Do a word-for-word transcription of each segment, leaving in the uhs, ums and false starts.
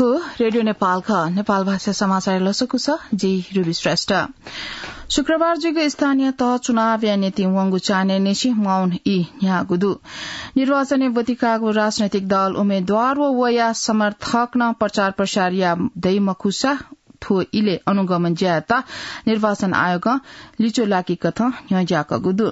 रेडियो नेपाल खः। नेपाल भाषा समाचार लसकुस, जि रुबी श्रेष्ठ। शुक्रबार जुइगु स्थानीय तह चुनावया निंतिं वंगु चान्हय् निसें मौन ई न्ह्याःगु दु। निर्वाचनय् ब्वति काःगु राजनैतिक दल, उम्मेद्वार व वया समर्थकनं प्रचार प्रसार याः दइ मखुसा थ्व इलय् अनुगमन ज्यायात निर्वाचन आयोगं लिच्वलाकी कथं न्ह्यज्याकःगु दु।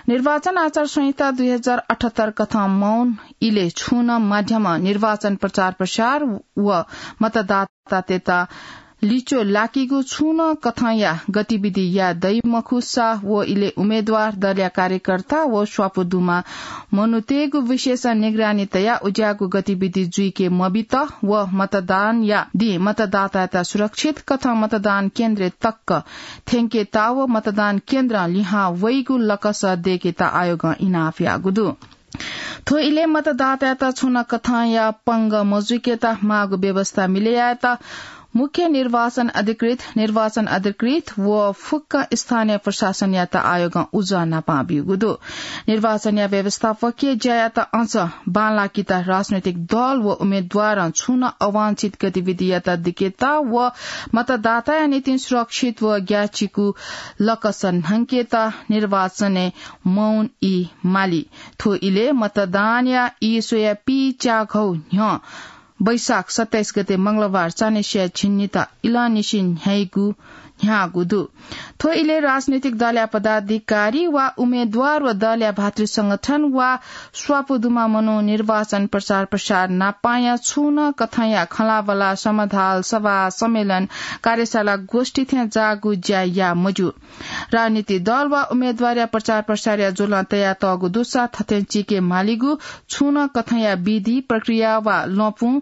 निर्वाचन आचार संहिता दुई हजार अठहत्तर कथं मौन इलय् छुं नं माध्यमं निर्वाचन प्रचार प्रसार व मतदातातय्त लिच्वलाकीगु छुं नं कथंया गतिविधि याः दइ मखुसा व इलय् उम्मेद्वार, दलया कार्यकर्ता व स्वापू दुम्ह मनूतय्गु विशेष निगरानी तयाः उज्याःगु गतिविधि जुइके मबित व मतदानया दिं मतदातायात सुरक्षित कथं मतदान केन्द्रय् तक थ्यंकेत व मतदान केन्द्रं लिहां वइगु लकस दय्केत आयोगं इनाप याःगु दु। थ्व इलय् मतदातायात छुं नं कथंया पंगः मजुइकेत माःगु व्यवस्था मिले यायेत मुख्य निर्वाचन अधिकृत, निर्वाचन अधिकृत व फुक्क स्थानीय प्रशासनयात आयोगं उजं न्हापां ब्यूगु दु। निर्वाचनया व्यवस्थापकीय ज्यायात अझ बांलाकेत राजनैतिक दल व उम्मेद्वारं छुं नं अवांछित गतिविधियात दिकेत व मतदाताया निंतिं सुरक्षित व ग्याःचिकु लकस न्हंकेत निर्वाचनय् मौन ई माली। थ्व इलय् मतदानया ई स्वयाः पीच्याघौ न्ह्यः वैशाख सत्ताइस गते मंगलबार चान्हय् स्वयाः झिंनिदँ इलंनिसें न्ह्याइगु न्ह्याःगु दु। थ्व इलय् राजनैतिक दलया पदाधिकारी वा उम्मेद्वार व दलया भातृ संगठन वा स्वापू दुम्ह मनू निर्वाचन प्रचार प्रसार नापांया छुं नं कथंया खँल्हाबल्हा, समाधाल, सभा, सम्मेलन, कार्यशाला, गोष्ठी थें जाःगु ज्या याः मज्यू। राजनीतिक दल वा उम्मेद्वारया प्रचार प्रसारया ज्वलं तयातःगु दुसा थथें चीके मालीगु छुं नं कथंया विधि, प्रक्रिया वा लँपुं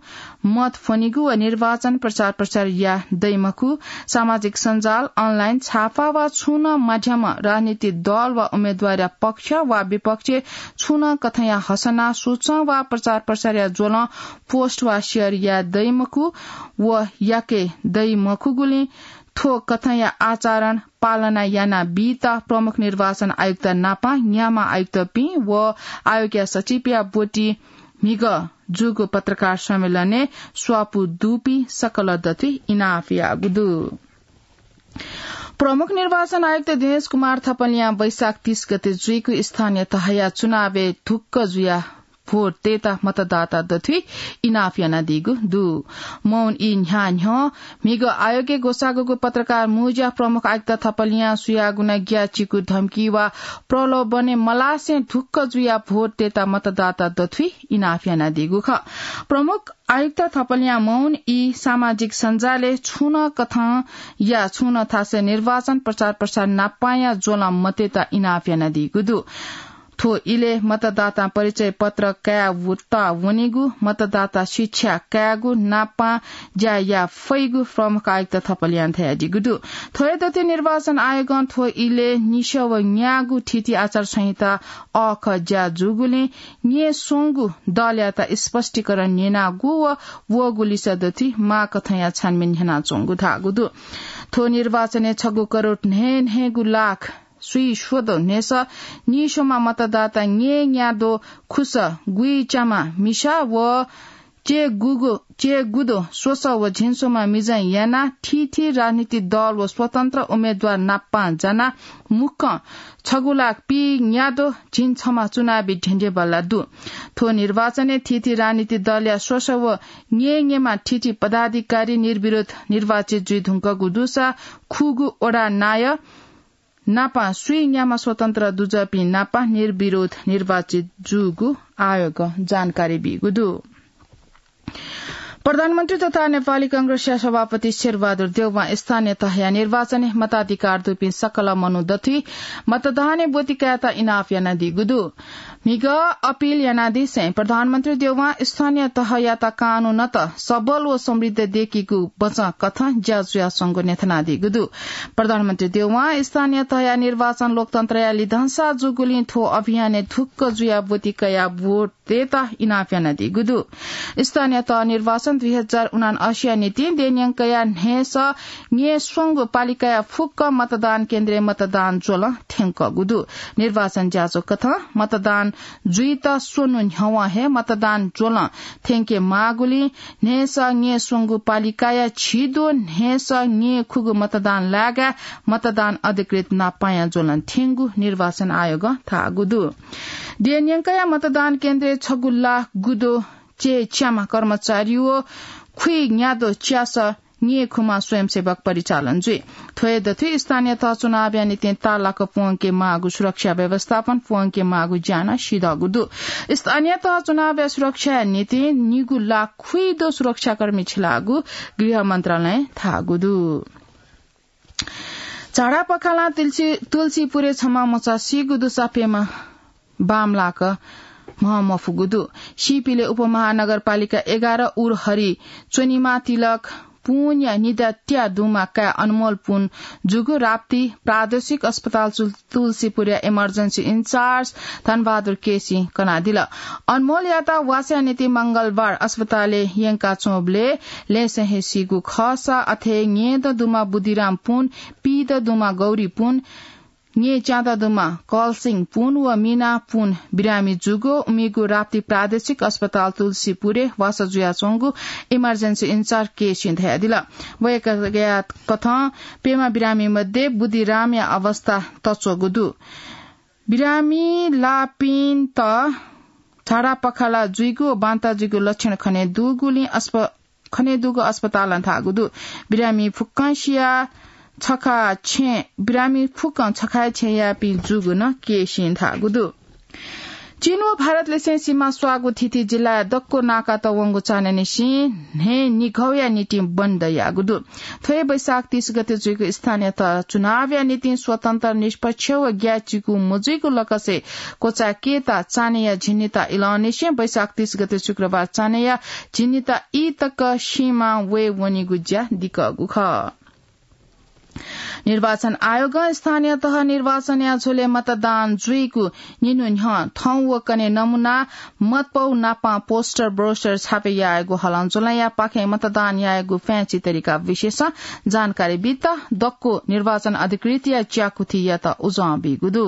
मत फ्वनीगु व निर्वाचन प्रचार प्रसार याः दइ मखु। सामाजिक सञ्जाल, online, छापा वा छुं नं माध्यमं राजनीतिक दल वा उम्मेद्वारया पक्ष वा विपक्षय् छुं नं कथंया हसना, सूचं वा प्रचार प्रसारया ज्वलं post वा share याये दइ मखु व याके दइ मखुगुलिं थ्व कथंया आचरण पालना याना बीत प्रमुख निर्वाचन आयुक्त नापं नियामक आयुक्तपिं व आयोगया सचिवया ब्वति म्हिगः जूगु पत्रकार सम्मेलनय् स्वापू दुपिं सकल दथुइ इनाप याःगु दु। प्रमुख निर्वाचन आयुक्त दिनेश कुमार थपलियां वैशाख तीस गते जुइगु स्थानीय तहया चुनावय् ढुक्क जुयाः भोट तयेत मतदाता दथुइ इनाप यानादीगु दु। मौन ई न्ह्याः न्ह्यः म्हिगः आयोगय् ग्वसाःगु पत्रकार मुँज्या प्रमुख आयुक्त थपलियां सुयागुना ग्याःचिकु धम्की वा प्रलोभनय् मलासे ढुक्क जुयाः भोट तयेत मतदाता दथुइ इनाप यानादीगु खः। प्रमुख आयुक्त थपलियां मौन ई सामाजिक सञ्जालय् छुं नं कथंया छुं नं थासय् निर्वाचन प्रचार प्रसार नापांया ज्वलं मतयेत इनाप यानादीगु दु। थ्व इलय् मतदाता परिचय पत्र कायेत वनेगु, मतदाता शिक्षा कायेगु, नापं ज्या याये फइगु प्रमुख आयुक्त थपलियां धयादीगु दु। थ्व हे दथुइ निर्वाचन आयोगं थ्व इलय् निसः व न्यागू थीथी आचार संहिता अःखः ज्या जूगुलिं न्येस्वंगू दलयात स्पष्टीकरण न्यनागु व वःगु लिसः दथुइ माःकथंया छानबिन न्ह्यानाच्वंगु धाःगु दु। थ्व निर्वाचनय् छगू करोड न्हय्न्हय्गू लाख स्वीस्वदँ न्हय्सः नीस्वम्ह मतदाता न्येन्याद्वः खुसः गुइच्याम्ह मिसा व च्यय्गुदँ स्वसः व झिंस्वम्ह मिजं यानाः थीथी राजनीतिक दल व स्वतन्त्र उम्मेद्वार नापं जानाः मुक्कं छगू लाख पीन्याद्वः झिंछम्ह चुनावी ढ्यन्ढेबल्ला दु। थ्व निर्वाचनय् थीथी राजनीतिक दलया स्वसः व न्येन्येम्ह थीथी पदाधिकारी निर्विरोध निर्वाचित जुइधुंकूगु दुसा खुगू वडा नायः नापं स्वीन्याम्ह स्वतन्त्र दुजःपिं नापं निर्विरोध निर्वाचित जूगु आयोगं जानकारी बीगु दु। प्रधानमन्त्री तथा नेपाली कांग्रेसया सभापति शेरबहादुर देउवां स्थानीय तहया निर्वाचनय् मताधिकार दुपिं सकल मनू दथुइ मतदानय् ब्वति कायेत इनाप यानादीगु दु। म्हिगः अपिल यानादिसें प्रधानमन्त्री देउवां स्थानीय तहयात कानूनत सबल व समृद्ध दयेकीगु बचं कथं ज्या जुयाच्वंगु न्ह्यथनादीगु दु। प्रधानमन्त्री देउवां स्थानीय तहया निर्वाचन लोकतन्त्रया लिधंसा जूगुलिं थ्व अभियानय् ढुक्क जुयाः ब्वति कयाः भोट तयेत इनाप यानादीगु दु। स्थानीय तह निर्वाचन दुई हजार उनान्असी निंतिं देय्‌न्यंकया न्हय्‌सः न्यय्‌स्वंगू पालिकाया फुक्क मतदान केन्द्रय् मतदान ज्वलं थ्यंकःगु दु। निर्वाचन ज्याझ्वः कथं मतदान जुइत स्वन्हु न्ह्यवं हे मतदान ज्वलं थ्यंके माःगुलिं न्हय्‌सः न्यय्‌स्वंगू पालिकाया झिद्वः न्हय्‌सः न्यय्‌खुगू मतदान लाय्‌काः मतदान अधिकृत नापायां ज्वलं थ्यंगु निर्वाचन आयोगं धाःगु दु। देय्‌न्यंकया मतदान केन्द्रय् छगू लाख गुद्वः च्यय्‌च्याम्ह कर्मचारी व खुइन्याद्वः च्यासः न्यय्‌खुम्ह स्वयंसेवक परिचालन जुइ। थ्व हे दथुइ स्थानीय तह चुनावया निंतिं ताःलाक प्वंके माःगु सुरक्षा व्यवस्थापन, प्वंके माःगु ज्या नं सिधःगु दु। स्थानीय तह चुनावया सुरक्षाया निंतिं निगू लाख खुइद्वः सुरक्षाकर्मी छिलाःगु गृह मन्त्रालयं धाःगु दु। झाडा पखालं तुलसी, तुलसीपुरय् छम्ह मचा सीगु दुसा प्यम्ह बांमलाक म्ह मफुगु दु। सीपिले उपमहानगरपालिका एघार उरहरी च्वनिमा तिलक पुनया निद्या त्या दुम्ह काय् अनमोल पुन जूगु राप्ती प्रादेशिक अस्पताल चुल-, तुलसीपुरया emergency in charge धनबहादुर केसीं कनादिल। अनमोलयात वासया निंतिं मंगलबार अस्पतालय् यंका च्वंबलय् लँय्‌सं हे सीगु खःसा अथे न्यय्‌दँ दुम्ह बुद्धिराम पुन, पीदँ दुम्ह गौरी पुन, न्यय्‌च्यादँ दुम्ह कलसिंह पुन व मिना पुन बिरामी जूगु इमिगु राप्ती प्रादेशिक अस्पताल तुलसीपुरय् वासः जुयाच्वंगु emergency in charge केसीं धयादिल। वय्‌कःया कथं प्यम्ह बिरामी मध्ये बुद्धिरामया अवस्था तच्वःगु दु। बिरामी लाःपिन्त झाडा पखाला जुइगु व बान्ता जुइगु लक्षण खने दुगुलिं अस्प-, खने दुगु अस्पतालं धाःगु दु। बिरामी फुक्कं सिया छखा छेँ, बिरामी फुक्कं छखा छेँयापिं जूगु नं केसीं धाःगु दु। चीन व भारतलिसें सीमा स्वाःगु थीथी जिल्लाया दक्व नाकात वंगु चान्हय्‌निसें न्हय् निघौया निंतिं बन्द याःगु दु। थ्व हे वैशाख तीस गते जुइगु स्थानीय तह चुनावया निंतिं स्वतन्त्र, निष्पक्ष व ग्याःचिकु मजुइगु लकसय् क्वचाय्‌केत चान्हय्‌या झिंनिता इलंनिसें वैशाख तीस गते शुक्रबार चान्हय्‌या झिंनिता ई तक सीमां वये वनीगु ज्या दिकःगु खः। निर्वाचन आयोगं स्थानीय तह निर्वाचनया झ्वलय् मतदान जुइगु निन्हु न्ह्यः थौं व कन्हय् नमुना मतपौ नापं पोस्टर, ब्रोस्टर छापे यायेगु हलंज्वलंया पाखें मतदान यायेगु फ्याँची तरिका विषयसं जानकारी बीत दक्व निर्वाचन अधिकृतया ज्याकुथियात उजं बीगु दु।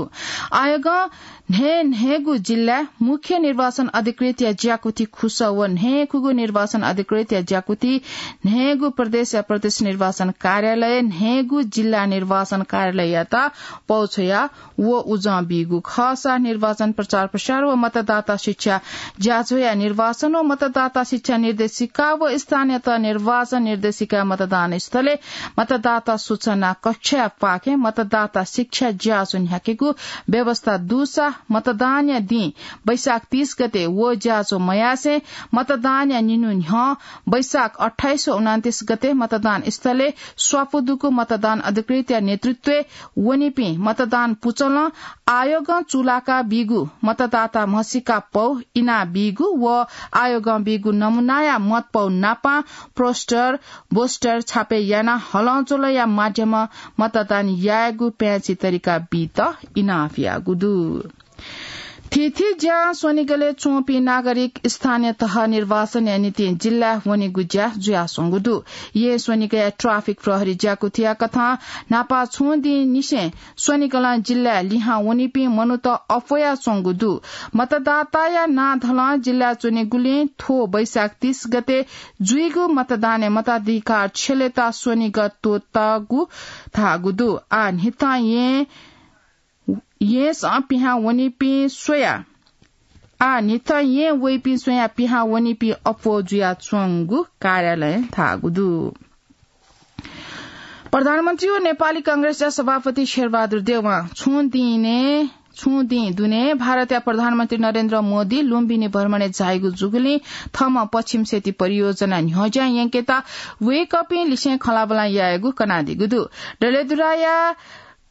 आयोगं न्हय् न्हय्‌गू जिल्लाय् मुख्य निर्वाचन अधिकृतया ज्याकुथि खुसः व न्हय्‌खुगू निर्वाचन अधिकृतया ज्याकुथि न्हय्‌गू प्रदेशया प्रदेश निर्वाचन कार्यालय, न्हय्‌गू जिल्ला निर्वाचन कार्यालययात पौ छ्वया व उजं बीगु खःसा निर्वाचन प्रचार प्रसार व मतदाता शिक्षा ज्याझ्वःया निर्वाचन व मतदाता शिक्षा निर्देशिका व स्थानीय तह निर्वाचन निर्देशिका मतदान स्थलय् मतदाता सूचना कक्षया पाखें मतदाता शिक्षा ज्याझ्वः न्ह्याकेगु व्यवस्था दुसा मतदानया दिं वैशाख तीस गते व ज्याझ्वः मयासें मतदानया निन्हु न्ह्यः वैशाख अट्ठाइस व उनन्तीस गते मतदान स्थलय् स्वापू दुगु मतदान अधिकृतया नेतृत्वय् वनीपिं मतदान पुचलं आयोगं चूलाका बीगु मतदाता म्हसीका पौ इना बीगु व आयोगं बीगु नमुनाया मतपौ नापं पोस्टर, ब्रोस्टर छापे यानाः हलंज्वलंया माध्यमं मतदान यायेगु प्याँची तरिका बीत इनाप याःगु दु। थीथी ज्यां स्वनिगलय् च्वंपिं नागरिक स्थानीय तह निर्वाचनया निंतिं जिल्लाय् वनेगु ज्या जुयाच्वंगु दु। येँ स्वनिगया ट्राफिक प्रहरी ज्याकुथिया कथं न्हापा छुं दिंनिसें स्वनिगलं जिल्लाय् लिहां वनीपिं मनूत अप्वयाच्वंगु दु। मतदाताया नां धलं जिल्लाय् च्वनीगुलिं थ्व वैशाख तीस गते जुइगु मतदानय् मताधिकार छ्यलेत स्वनिगः त्वःतागु धाःगु दु। आः न्हिथं येँ येँसं पिहां वनीपिं स्वयाः, आः न्हिथं येँ वइपिं स्वयाः पिहां वनीपिं अप्वः जुयाच्वंगु कार्यालयं धाःगु दु। प्रधानमन्त्री व नेपाली कांग्रेसया सभापति शेरबहादुर देउवां छुं दिने, छुं दिं दुने भारतया प्रधानमन्त्री नरेन्द्र मोदी लुम्बिनी भ्रमणय् झाइगु जूगुलिं थःम्हं पश्चिम सेती परियोजना न्ह्यज्यां यंकेत वय्‌कःपिं लिसें खँल्हाबल्हा यायेगु कनादीगु दु। डडेलधुराया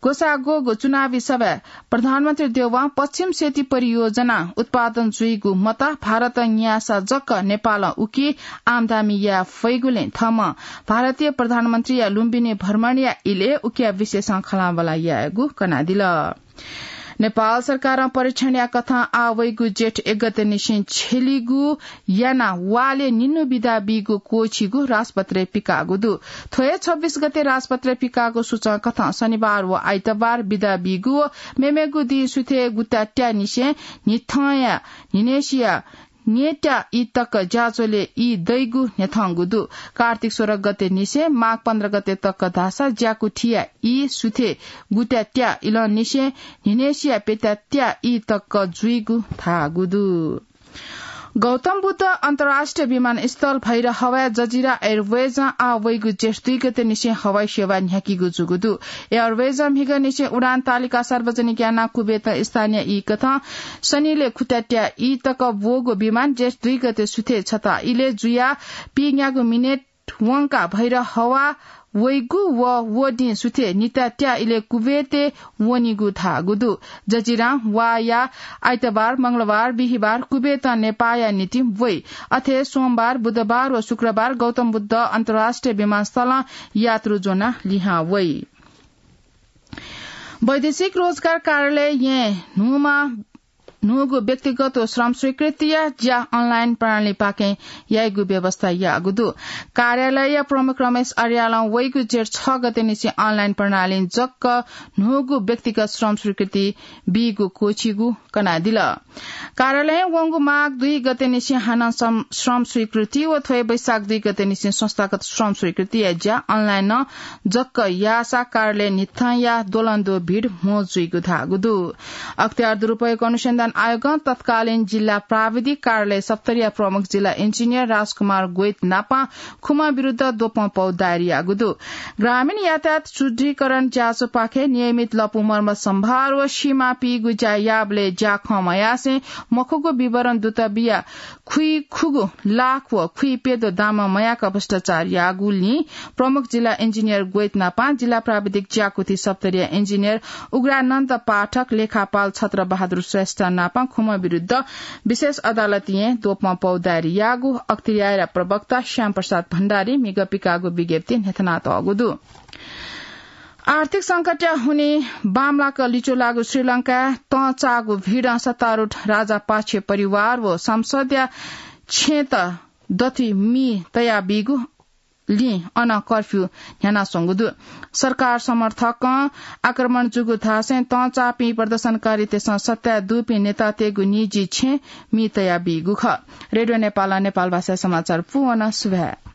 ग्वसाः ग्वःगु चुनावी सभाय् प्रधानमन्त्री देउवां पश्चिम सेती परियोजना उत्पादन जुइगु मत भारतं न्याःसा जक नेपालं उकी आम्दानी याये फइगुलिं थःम्हं भारतीय प्रधानमन्त्रीया लुम्बिनी भ्रमणया इलय् उकिया विषयसं खँल्हाबल्हा यायेगु कनादिल। नेपाल सरकारं परीक्षणया कथं आः वइगु जेठ एक गते निसें छेलिगु याना वालय् निन्हु बिदा बीगु क्वःछिगु राजपत्रय् पिकाःगु दु। थ्व हे छब्बीस गते राजपत्रय् पिकाःगु सूचं कथं शनिबार व आइतबार बिदा बीगु व मेमेगु दिं सुथय् गुत्यात्या निसें न्हिथंया न्हिनेसिया न्येत्या ई तक ज्याझ्वलय् ई दइगु न्ह्यथंगु दु। कार्तिक सोह्र गते निसें माघ पन्ध्र गते तक धाःसा ज्याकुथिया ई सुथय् गुत्यात्या इलंनिसें न्हिनेसिया प्यत्यात्या ई तक जुइगु धाःगु दु। गौतम बुद्ध अन्तर्राष्ट्रिय विमानस्थल भैरहवाय् जजिरा एयरवेजं आः वइगु जेठ दुई गते निसें हवाई सेवा न्ह्याकीगु जूगु दु। एयरवेजं म्हिगः निसें उडान तालिका सार्वजनिक यानाः कुवेतं स्थानीय ई कथं शनिलय् खुत्यात्या ई तक ब्वःगु विमान जेठ दुई गते सुथय् छता इलय् जुयाः पीन्यागू मिनेट वंकाः भैरहवा वइगु व व दिं सुथय् नित्यात्या इलय् कुवेतय् वनीगु धाःगु दु। जजिरां वाया आइतबार, मंगलबार, बिहिबार कुवेतं नेपाःया निंतिं वइ। अथे सोमबार, बुधबार व शुक्रबार गौतम बुद्ध अन्तर्राष्ट्रिय विमानस्थलं यात्रु ज्वनाः लिहां वइ। वैदेशिक रोजगार कार्यालयं न्हूमा न्हूगु व्यक्तिगत व श्रम स्वीकृतिया ज्या अनलाइन प्रणालीपाखें याइगु व्यवस्था याःगु दु। कार्यालय प्रमुख रमेश अर्यालं वइगु जेठ छ गते निसें अनलाइन प्रणालीं जक्क न्हूगु व्यक्तिगत श्रम स्वीकृति बीगु क्वःछिगु कनादिल। कार्यालयं वंगु माघ दुई गते निसें हानं श्रम, श्रम स्वीकृति व थ्व हे वैशाख दुई गते निसें संस्थागत श्रम स्वीकृतिया ज्या अनलाइनं जक्क याःसा कार्यालय न्हिथंया द्वलंद्वः भिड म्हो जुइगु धाःगु दु। अख्तियार दुरुपयोग अनुसन्धान आयोगं तत्कालीन जिल्ला प्राविधिक कार्यालय सप्तरीया प्रमुख जिल्ला इन्जिनियर राजकुमार गोइत नापां खुमा विरुद्ध द्वपं पौ दायर याःगु दु। ग्रामीण यातायात सुदृढीकरण ज्याझ्वःपाखें नियमित लँपु मर्मत सम्भार व सीमा पीगु ज्या याःबलय् ज्याखँ मयासें मखुगु विवरण दुत बिया खुइखुगु लाख व खुइप्यद्वः दामं मयाक भ्रष्टाचार याःगुलिं प्रमुख जिल्ला इन्जिनियर गोइत नापां जिल्ला प्राविधिक ज्याकुथि सप्तरीया इन्जिनियर उग्रानन्द पाठक, लेखापाल छत्र बहादुर श्रेष्ठ नापां खुमा विरुद्ध विशेष अदालतय् द्वपं पौ दायर याःगु अख्तियारया प्रवक्ता श्याम प्रसाद भण्डारीं म्हिगः पिकाःगु विज्ञप्तिइ न्ह्यथनातःगु दु। आर्थिक संकटया हुनिं बांमलाक लिच्वलाःगु श्रीलंकाय् तंचाःगु भिडं सत्तारूढ राजापाक्ष परिवार व संसदया छेँत दथुइ मि तयाबीगु लिं अन कर्फ्यू न्ह्यानाच्वंगु दु। सरकार समर्थकं आक्रमण जूगु धासें तंचाःपिं प्रदर्शनकारीतय्सं सत्ताय् दुपिं नेतातय्गु निजी छेँ मि तयाबीगु खः। रेडियो नेपालं नेपालभाषा समाचार पूवन सुभाय्।